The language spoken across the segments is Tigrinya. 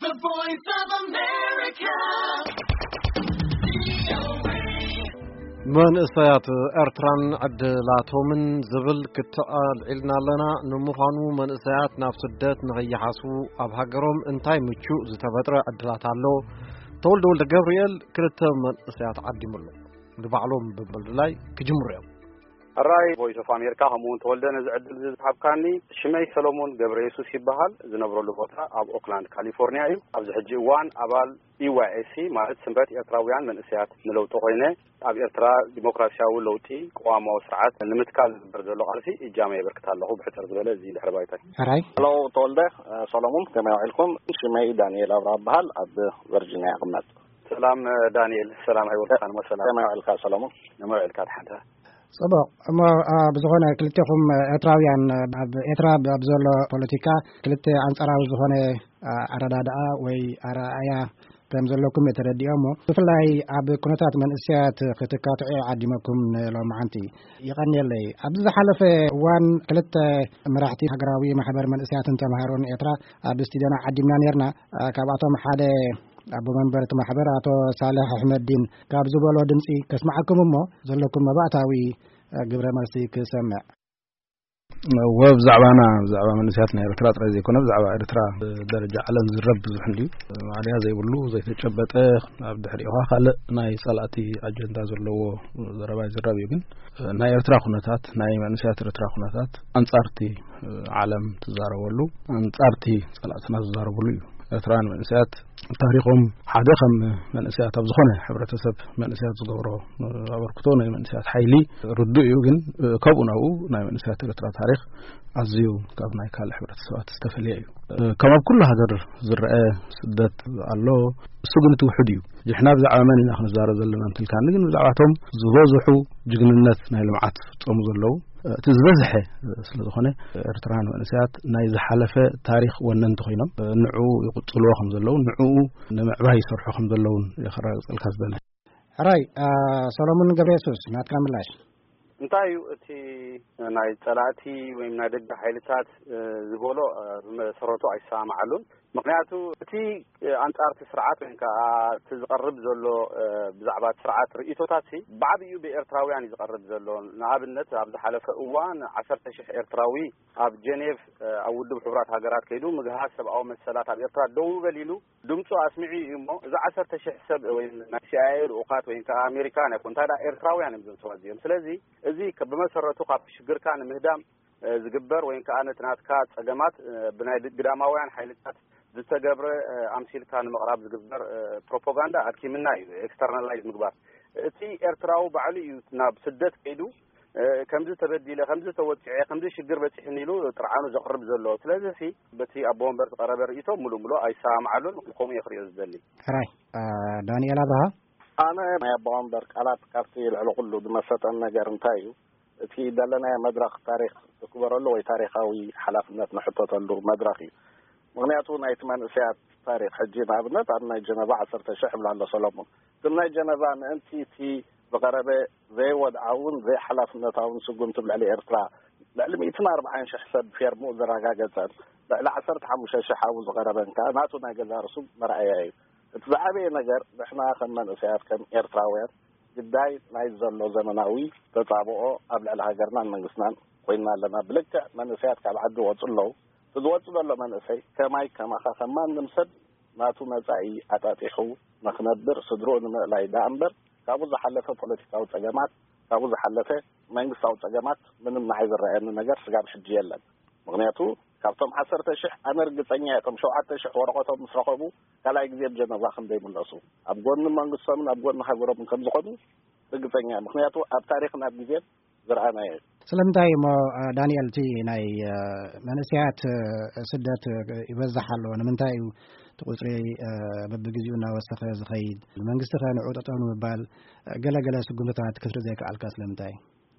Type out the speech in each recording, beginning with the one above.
The Voice of America. መንእሰያት ኤርትራን ዕድላቶምን ዝብል ክትዕ ኣልዒልና ኣለና። ንምዃኑ መንእሰያት ናብ ስደት ንኸይሓስቡ ኣብ ሃገሮም እንታይ ምቹእ ዝተፈጥረ ዕድላት ኣሎ? ተወልደ ወልደ ገብርኤል ክልተ መንእሰያት ዓዲሙ ኣሎ። ንባዕሎም ብምልላይ ክጅምሩ እዮም። ሕራይ ቮይስ ኦፍ ኣሜሪካ፣ ከምኡ እውን ተወልደ፣ ነዚ ዕድል እዚ ዝሃብካኒ። ሽመይ ሰሎሞን ገብረ የሱስ ይበሃል። ዝነብረሉ ቦታ ኣብ ኦክላንድ ካሊፎርኒያ እዩ። ኣብዚ ሕጂ እዋን ኣባል ኢ ዋይ ኤስ ሲ፣ ማለት ስምረት ኤርትራውያን መንእሰያት ንለውጢ ኮይነ፣ ኣብ ኤርትራ ዲሞክራሲያዊ ለውጢ ቅዋማዊ ስርዓት ንምትካል ዝግበር ዘሎ ቃልሲ እጃመ የበርክት ኣለኹ። ብሕጽር ዝበለ እዚ ድሕሪ ባይታይ። ሕራይ። ሄሎ ተወልደ፣ እ፣ ሰሎሞን፣ ከመይ ውዒልኩም? ሽመይ ዳንኤል ኣብርሃ እበሃል፣ ኣብ ቨርጂኒያ እቕመጥ። ሰላም፣ እ፣ ዳንኤል፣ ሰላም ኣይወልካን፣ ሰላም። ከመይ ውዒልካ ሰሎሞን? ከመይ ውዒልካ ድሓንተ? ጽቡቕ። እሞ፣ እ፣ ብዝኾነ ክልቴኹም፣ እ፣ ኤርትራውያን፣ እ፣ ኣብ ኤርትራ ብ-፣ ኣብ ዘሎ ፖለቲካ ክልተ ኣንጻራዊ ዝኾነ፣ እ፣ ኣረዳድኣ ወይ ኣረኣእያ ከም ዘለኩም እየ ተረዲኦ። እሞ ብፍላይ ኣብ ኩነታት መንእሰያት ክትካትዑ ዓዲመኩም ንሎማዓንቲ። ይቐንየለይ። ኣብዚ ዝሓለፈ እዋን ክልተ መራሕቲ ሃገራዊ ማሕበር መንእሰያትን ተምሃሮን ኤርትራ ኣብ ስቱድዮና ዓዲምና ነርና። እ፣ ካብኣቶም ሓደ ኣቦ መንበር እቲ ማሕበር ኣቶ ሳልሕ ኣሕመዲን ካብ ዝበሎ ድምጺ ከስምዓኩም እሞ ዘለኩም መባእታዊ፣ እ፣ ግብረ መልሲ ክሰምዕ። እወ፣ ብዛዕባና፣ ብዛዕባ መንእሰያት ናይ ኤርትራ ጥራይ ዘይኮነ፣ ብዛዕባ ኤርትራ ብደረጃ ዓለም ዝረብ ብዙሕ እንድዩ። ማዕለያ ዘይብሉ፣ ዘይተጨበጠ፣ ኣብ ድሕሪኡ ኸኣ ካልእ ናይ ጸላእቲ ኣጀንዳ ዘለዎ ዘረባ ይዝረብ እዩ። ግን ናይ ኤርትራ ኩነታት፣ ናይ መንእሰያት ኤርትራ ኩነታት ኣንጻርቲ ዓለም ትዛረበሉ፣ ኣንጻርቲ ጸላእትና ዝዛረብሉ እዩ። ኤርትራውያን መንእሰያት ታሪኾም ሓደ ከም መንእሰያት ኣብ ዝኾነ ሕብረተሰብ መንእሰያት ዝገብሮ ኣበርክቶ ናይ መንእሰያት ሓይሊ ርዱእ እዩ። ግን ካብኡ ናብኡ ናይ መንእሰያት ኤርትራ ታሪኽ ኣዝዩ ካብ ናይ ካልእ ሕብረተሰባት ዝተፈልየ እዩ። ከም ኣብ ኩሉ ሃገር ዝረአ ስደት ኣሎ። እሱ ግን እቲ ውሑድ እዩ። ሕጂ ንሕና ብዛዕባ መን ኢና ክንዛረብ ዘለና እንትልካኒ፣ ግን ብዛዕባቶም ዝበዝሑ ጅግንነት ናይ ልምዓት ዝፍጸሙ ዘለዉ፣ እቲ ዝበዝሐ ስለ ዝኾነ፣ ኤርትራውያን መንእሰያት ናይ ዝሓለፈ ታሪኽ ወነንቲ ኮይኖም ንዕኡ ይቕጽልዎ ከም ዘለዉ፣ ንዕኡ ንምዕባይ ይሰርሑ ከም ዘለዉን የኸራግጸልካ ዝደሊ። ሕራይ፣ አ፣ ሰሎሞን ገብረ የሱስ፣ ናትካ ምላሽ። እንታይ እዩ እቲ ናይ ጸላእቲ ወይም ናይ ደገ ሓይልታት፣ እ፣ ዝበሎ፣ እ፣ ብመሰረቱ ኣይሰማማዓሉን። ምኽንያቱ እቲ፣ እ፣ ኣንጻር እቲ ስርዓት ወይ ከዓ እቲ ዝቐርብ ዘሎ፣ እ፣ ብዛዕባ እቲ ስርዓት ርእይቶታት ሲ ብዓብዩ ብኤርትራውያን እዩ ዝቐርብ ዘሎ። ንኣብነት ኣብ ዝሓለፈ እዋን ዓሰርተ ሽሕ ኤርትራዊ ኣብ ጀኔቭ፣ እ፣ ኣብ ውድብ ሕቡራት ሃገራት ከይዱ ምግሃስ ሰብኣዊ መሰላት ኣብ ኤርትራ ደው በል ኢሉ ድምፁ ኣስሚዑ እዩ። እሞ እዚ ዓሰርተ ሽሕ ሰብ ወይ ናይ ሲ ኣይ ኤ ልኡኻት ወይ ከዓ ኣሜሪካን ኣይኮን፣ እንታይ ደኣ ኤርትራውያን እዮም እዞም ሰባት እዚኦም። ስለዚ እዚ ከ-፣ ብመሰረቱ ካብ ሽግርካ ንምህዳም፣ እ፣ ዝግበር ወይ ከዓ ነቲ ናትካ ጸገማት፣ እ፣ ብናይ ድ-፣ ግዳማውያን ሓይልታት ዝተገብረ፣ እ፣ ኣምሲልካ ንምቕራብ ዝግበር፣ እ፣ ፕሮፓጋንዳ ኣድኪምና እዩ፣ ኤክስተርናላይዝ ምግባር። እቲ ኤርትራዊ ባዕሉ እዩ ናብ ስደት ከይዱ፣ እ፣ ከምዚ ተበዲለ፣ ከምዚ ተወጺዐ፣ ከምዚ ሽግር በጺሕኒ ኢሉ ጥርዓኑ ዘቕርብ ዘሎ። ስለዚ ሲ በቲ ኣቦ ወንበር ዝቐረበ ርእይቶ ሙሉእ ሙሉእ ኣይሰማማዓሉን፣ ከምኡ እየ ክርእዮ ዝደሊ። ሕራይ፣ እ፣ ዳንኤል ኣብርሃ። ኣነ ናይ ኣቦ ወንበር ቃላት ካብቲ ልዕሊ ኩሉ ዝመሰጠን ነገር እንታይ እዩ? እቲ ዘለናዮ መድረኽ ታሪኽ ዝክበረሉ ወይ ታሪኻዊ ሓላፍነት ንሕተተሉ መድረኽ እዩ። ምኽንያቱ ናይቲ መንእሰያት ታሪኽ፣ ሕጂ ንኣብነት ኣብ ናይ ጀነቫ ዓሰርተ ሽሕ ይብላ ኣሎ ሰሎሞን። ግን ናይ ጀነቫ ምእንቲ እቲ ዝቐረበ ዘይወድዓውን ዘይሓላፍነታውን ስጉምቲ ኣብ ልዕሊ ኤርትራ ልዕሊ ሚእትን ኣርባዓን ሽሕ ሰብ ፌርምኡ ዘረጋገጸን ልዕሊ ዓሰርተ ሓሙሽተ ሽሕ ኣብኡ ዝቐረበን ከኣ ናቱ ናይ ገዛእ ርእሱ መርኣያ እዩ። እቲ ዝዓበየ ነገር ንሕና ከም መንእሰያት፣ ከም ኤርትራውያን ግዳይ ናይ ዘሎ ዘመናዊ ተጻብኦ ኣብ ልዕሊ ሃገርናን መንግስትናን ኮይንና ኣለና። ብልክዕ መንእሰያት ካብ ዓዲ ይወጹ ኣለዉ። እቲ ዝወጽእ ዘሎ መንእሰይ ከማይ ከማኻ ከም ማንም ሰብ ናቱ መጻኢ ኣጣጢሑ ንኽነብር ስድርኡ ንምእላይ ደኣ እምበር ካብኡ ዝሓለፈ ፖለቲካዊ ጸገማት፣ ካብኡ ዝሓለፈ መንግስታዊ ጸገማት ምንም ንዓይ ዝረኣየኒ ነገር ስጋብ ሕጂ የለን። ምኽንያቱ ካብቶም ዓሰርተ ሽሕ ኣነ ርግጸኛ እየ፣ እቶም ሸውዓተ ሽሕ ወረቐቶም ምስ ረኸቡ ካልኣይ ግዜ ኣብ ጀነቫ ከም ዘይምለሱ፣ ኣብ ጎኒ መንግስቶምን ኣብ ጎኒ ሃገሮምን ከም ዝኾኑ ርግጸኛ እየ። ምኽንያቱ ኣብ ታሪኽን ኣብ ግዜን ዝረኣናዮ እዩ። ስለምንታይ እሞ፣ እ፣ ዳንኤል፣ እቲ ናይ፣ እ፣ መንእሰያት፣ እ፣ ስደት፣ እ፣ ይበዝሕ ኣሎ? ንምንታይ እዩ እቲ ቁጽሪ፣ እ፣ በብግዜኡ እናወሰኸ ዝኸይድ? መንግስቲ ከ ንዑ ጠጠው ንምባል፣ እ፣ ገለ ገለ ስጉምትታት ክትርኢ ዘይከኣልካ ስለምንታይ?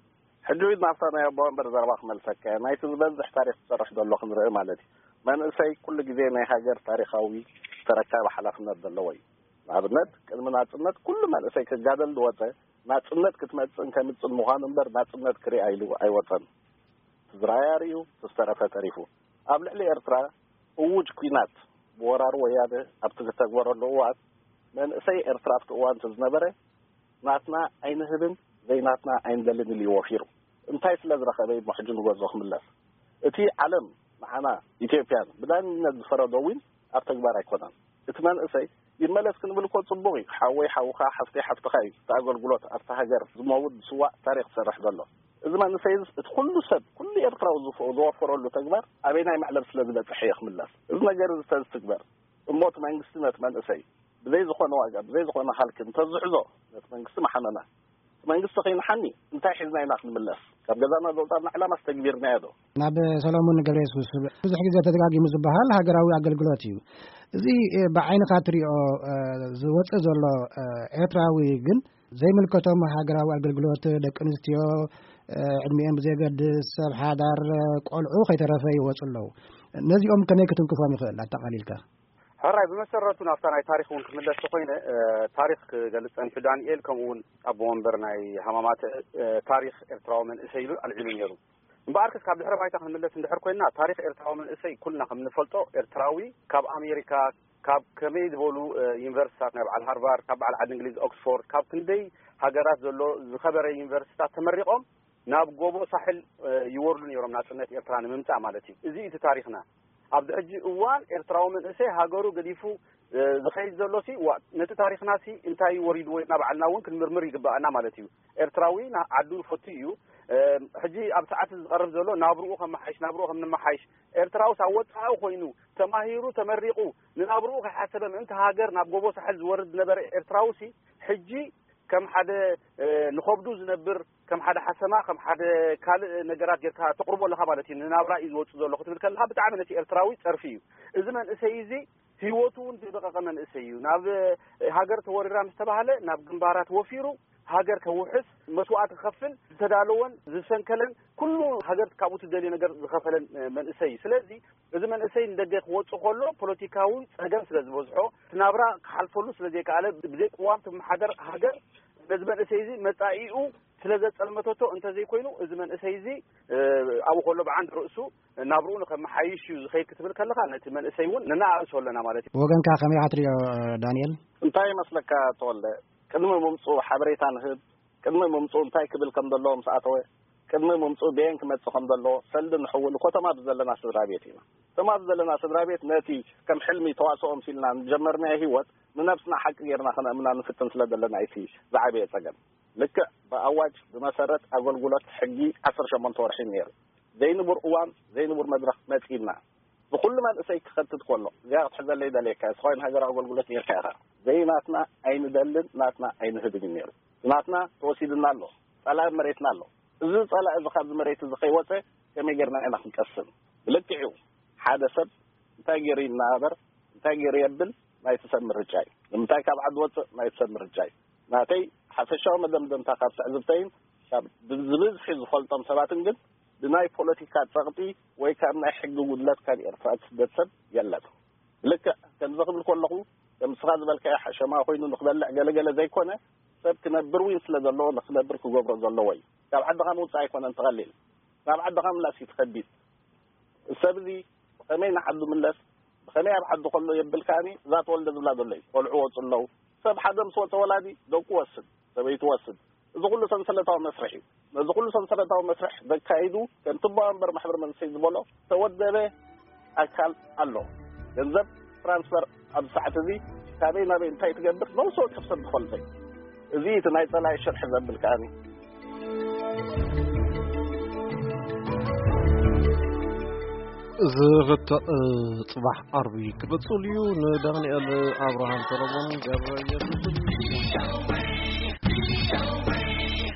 ሕጂ እውን ናብታ ናይ ኣቦ ወንበር ዘረባ ክመልሰካ እየ። ናይቲ ዝበዝሕ ታሪኽ ዝሰርሕ ዘሎ ክንርኢ ማለት እዩ። መንእሰይ ኩሉ ግዜ ናይ ሃገር ታሪኻዊ ተረካቢ ሓላፍነት ዘለዎ እዩ። ንኣብነት፣ ቅድሚ ናጽነት ኩሉ መንእሰይ ክጋደል ዝወጸ፣ ናጽነት ክትመጽእን ከምጽእን ምዃኑ እምበር ናጽነት ክሪኣ ኢሉ ኣይወጸን። እቲ ዝረኣያ ርእዩ፣ እቲ ዝተረፈ ተሪፉ። ኣብ ልዕሊ ኤርትራ እዉጅ ኲናት ወራር ወያነ ኣብቲ ዝተግበረሉ እዋን መንእሰይ ኤርትራ ኣብቲ እዋን እቲ ዝነበረ ናትና ኣይንህብን ዘይናትና ኣይንደልን ኢሉ እዩ ወፊሩ። እንታይ ስለ ዝረኸበ እዩ ሕጂ ንገዝኦ ክምለስ? እቲ ዓለም ንዓና ኢትዮጵያን ብዳንነት ዝፈረዶ እውን ኣብ ተግባር ኣይኮነን። እቲ መንእሰይ ይመለስ ክንብል እኮ ጽቡቕ እዩ። ሓወይ ሓውኻ፣ ሓፍተይ ሓፍትኻ እዩ። እቲ ኣገልግሎት ኣብቲ ሃገር ዝመውት ዝስዋእ ታሪኽ ዝሰርሕ ዘሎ። እዚ መንእሰይ እዚ እቲ ኩሉ ሰብ፣ ኩሉ ኤርትራዊ ዝፈ-፣ ዝወፈረሉ ተግባር ኣበይናይ መዕለብ ስለ ዝበጽሕ እየ ክምለስ? እዚ ነገር እዚ ተዝትግበር እሞ እቲ መንግስቲ ነቲ መንእሰይ ብዘይ ዝኾነ ዋጋ፣ ብዘይ ዝኾነ ሃልኪ እንተዝሕዞ ነቲ መንግስቲ መሓመና። እቲ መንግስቲ ከይንሓኒ እንታይ ሒዝና ኢና ክንምለስ? ካብ ገዛና ዘውጻና ዕላማ ኣስተግቢርናዮ ዶ? ናብ ሰሎሞን ገብረ የሱስ ብዙሕ ግዜ ተደጋጊሙ ዝበሃል ሃገራዊ ኣገልግሎት እዩ። እዚ፣ እ፣ ብዓይንኻ ትሪኦ፣ እ፣ ዝወጽእ ዘሎ፣ እ፣ ኤርትራዊ ግን ዘይምልከቶም ሃገራዊ ኣገልግሎት ደቂ ኣንስትዮ፣ እ፣ ዕድሚኦም ብዘየገድስ ሰብ ሓዳር፣ እ፣ ቆልዑ ከይተረፈ ይወጹ ኣለዉ። ነዚኦም ከመይ ክትንክፎም ይኽእል ኣጠቓሊልካ? ሕራይ፣ ብመሰረቱ ናብታ ናይ ታሪኽ እውን ክምለስ ተኾይነ፣ እ፣ ታሪኽ ክገልጽ ጸኒሑ ዳንኤል፣ ከምኡ እውን ኣቦ ወንበር ናይ ሃማማት፣ እ፣ ታሪኽ ኤርትራዊ መንእሰይ ኢሉ ኣልዒሉ ነይሩ። እምበኣርከስ ካብ ድሕረ ባይታ ክንምለስ እንድሕር ኮይንና፣ ታሪኽ ኤርትራዊ መንእሰይ ኩልና ከም ንፈልጦ ኤርትራዊ ካብ ኣሜሪካ፣ ካብ ከመይ ዝበሉ፣ እ፣ ዩኒቨርሲታት ናይ በዓል ሃርቫርድ፣ ካብ በዓል ዓዲ እንግሊዝ ኦክስፎርድ፣ ካብ ክንደይ ሃገራት ዘሎ ዝኸበረ ዩኒቨርሲታት ተመሪቖም ናብ ጎቦ ሳሕል፣ እ፣ ይወርዱ ነይሮም ናጽነት ኤርትራ ንምምጻእ ማለት እዩ። እዚ እቲ ታሪኽና። ኣብዚ ሕጂ እዋን ኤርትራዊ መንእሰይ ሃገሩ ገዲፉ፣ እ፣ ዝኸይድ ዘሎሲ፣ ዋ፣ ነቲ ታሪኽናሲ እንታይ እዩ ወሪድዎ ኢልና ባዕልና እውን ክንምርምር ይግብኣና ማለት እዩ። ኤርትራዊ ና-፣ ዓዱ ይፈቱ እዩ። እ፣ ሕጂ ኣብ ሰዓት ዝቐርብ ዘሎ ናብርኡ ከመሓይሽ፣ ናብርኡ ከም ንመሓይሽ፣ ኤርትራውስ ኣብ ወጻኢ ኮይኑ ተማሂሩ ተመሪቑ ንናብርኡ ከይሓሰበ ምእንቲ ሃገር ናብ ጎቦ ሳሕል ዝወርድ ዝነበረ ኤርትራውሲ ሕጂ ከም ሓደ፣ እ፣ ንኸብዱ ዝነብር፣ ከም ሓደ ሓሰማ፣ ከም ሓደ ካልእ ነገራት ጌርካ ተቕርቦ ኣለኻ ማለት እዩ። ንናብራ እዩ ዝወጽእ ዘሎ ክትብል ከለኻ ብጣዕሚ ነቲ ኤርትራዊ ጸርፊ እዩ። እዚ መንእሰይ እዚ ህይወቱ እውን ዘይበቐቐ መንእሰይ እዩ። ናብ፣ እ፣ ሃገር ተወሪራ ምስ ተባህለ ናብ ግንባራት ወፊሩ ሃገር ከውሕስ መስዋዕቲ ክኸፍል ዝተዳለወን ዝሰንከለን ኩሉ ሃገር ካብኡ ትደልዮ ነገር ዝኸፈለን፣ እ፣ መንእሰይ እዩ። ስለዚ እዚ መንእሰይ ንደገ ክወጽእ ከሎ ፖለቲካዊ ጸገም ስለ ዝበዝሖ፣ እቲ ናብራ ክሓልፈሉ ስለ ዘይከኣለ፣ ብዘይ ቅዋም ትመሓደር ሃገር ነዚ መንእሰይ እዚ መጻኢኡ ስለ ዘጸልመተቶ እንተዘይኮይኑ፣ እዚ መንእሰይ እዚ፣ እ፣ ኣብኡ ከሎ ብዓንድ ርእሱ ናብርኡ ንኸመሓይሽ እዩ ዝኸይድ ክትብል ከለኻ፣ ነቲ መንእሰይ እውን ነናኣእሶ ኣለና ማለት እዩ። ብወገንካ ከመይ ኢኻ ትሪኦ፣ ዳንኤል? እንታይ ይመስለካ ተወልደ? ቅድሚ ምምጽኡ ሓበሬታ ንህብ፣ ቅድሚ ምምጽኡ እንታይ ክብል ከም ዘለዎ ምስ ኣተወ፣ ቅድሚ ምምጽኡ በየን ክመጽእ ከም ዘለዎ ሰልዲ ንሕውል እኮ እቶም ኣብዚ ዘለና ስድራ ቤት ኢና። እቶም ኣብዚ ዘለና ስድራ ቤት ነቲ ከም ሕልሚ ተዋስኦ መሲልና ንጀመርናዮ ህይወት ንነብስና ሓቂ ጌርና ከነእምና ንፍትን ስለ ዘለና እዩ እቲ ዝዓበየ ጸገም። ልክዕ ብኣዋጅ ብመሰረት ኣገልግሎት ሕጊ ዓሰርተ ሸሞንተ ወርሒ ነይሩ። ዘይንቡር እዋን፣ ዘይንቡር መድረኽ መጺእና። ንኹሉ መንእሰይ ክኸትት ከሎ፣ እዚኣ ክትሕዘለይ ደልየካ፣ እስኻ ወይን ሃገራዊ ኣገልግሎት ነይርካ ኢኻ። ዘይናትና ኣይንደልን፣ ናትና ኣይንህብን እዩ ነይሩ። ናትና ተወሲድና ኣሎ፣ ጸላኢ መሬትና ኣሎ። እዚ ጸላኢ እዚ ካብዚ መሬት እዚ ከይወጸ ከመይ ጌርና ኢና ክንቀስን? ብልክዕ እዩ፣ ሓደ ሰብ እንታይ ገይሩ ይናበር፣ እንታይ ገይሩ የብል፣ ናይቲ ሰብ ምርጫ እዩ። ንምንታይ ካብ ዓዲ ወጽእ፣ ናይቲ ሰብ ምርጫ እዩ። ናተይ ሓፈሻዊ መደምደምታ ካብ ትዕዝብተይን ካብ ብዝብዝሒ ዝፈልጦም ሰባትን ግን ብናይ ፖለቲካ ጸቕጢ ወይ ካብ ናይ ሕጊ ጉድለት ካብ ኤርትራ ዝስደድ ሰብ የለን። ልክዕ ከምዚ ክብል ከለኹ ከም ንስኻ ዝበልካዮ ሓሸማ ኮይኑ ንኽበልዕ ገለገለ ዘይኮነ ሰብ ክነብር እውን ስለ ዘለዎ ንኽነብር ክገብሮ ዘለዎ እዩ። ካብ ዓድኻ ምውጻእ ኣይኮነን ትቐሊል። ናብ ዓድኻ ምላስ እዩ ትኸቢድ። ሰብ እዚ ብኸመይ ንዓዱ ምለስ፣ ብኸመይ ኣብ ዓዱ ከሎ የብል ከኣኒ እዛ ተወልደ ዝብላ ዘሎ እዩ። ቆልዑ ወፁ ኣለዉ። ሰብ ሓደ ምስ ወፀ ወላዲ ደቁ ወስድ፣ ሰበይቱ ወስድ። እዚ ኩሉ ሰንሰለታዊ መስርሕ እዩ። ነዚ ኩሉ ሰንሰለታዊ መስርሕ ዘካይዱ ከምቲ ኣቦ ወንበር ማሕበር መንእሰይ ዝበሎ ተወደበ ኣካል ኣሎ። ገንዘብ ትራንስፈር ኣብዚ ሰዓት እዚ ካበይ ናበይ እንታይ ትገብር ነብሲ ወከፍ ሰብ ዝፈልጦ እዩ። እዚ እቲ ናይ ጸላኢ ሽርሒ ዘብል ከኣኒ። እዚ ርትዕ ጽባሕ ዓርቢ ክቕጽል እዩ። ንዳንኤል ኣብርሃም ሰሎሞን ገብረ ኢየሱስን